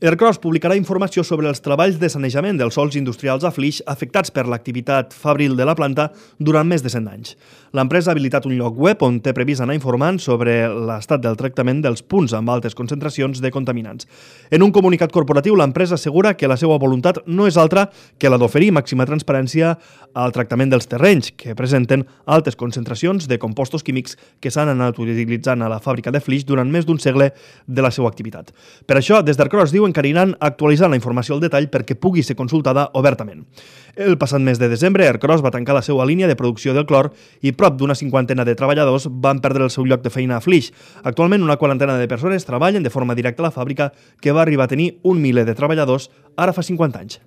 Ercros publicarà informació sobre els treballs de sanejament dels sòls industrials a Flix afectats per l'activitat fabril de la planta durant més de 100 anys. L'empresa ha habilitat un lloc web on té previst anar informant sobre l'estat del tractament dels punts amb altes concentracions de contaminants. En un comunicat corporatiu, l'empresa assegura que la seva voluntat no és altra que la d'oferir màxima transparència al tractament dels terrenys que presenten altes concentracions de compostos químics que s'han anat utilitzant a la fàbrica de Flix durant més d'un segle de la seva activitat. Per això, des d'Ercros diuen que aniran actualitzant la informació al detall perquè pugui ser consultada obertament. El passat mes de desembre, Ercros va tancar la seva línia de producció del clor i prop d'una 50 de treballadors van perdre el seu lloc de feina a Flix. Actualment, una 40 de persones treballen de forma directa a la fàbrica, que va arribar a tenir 1 miler de treballadors ara fa 50 anys.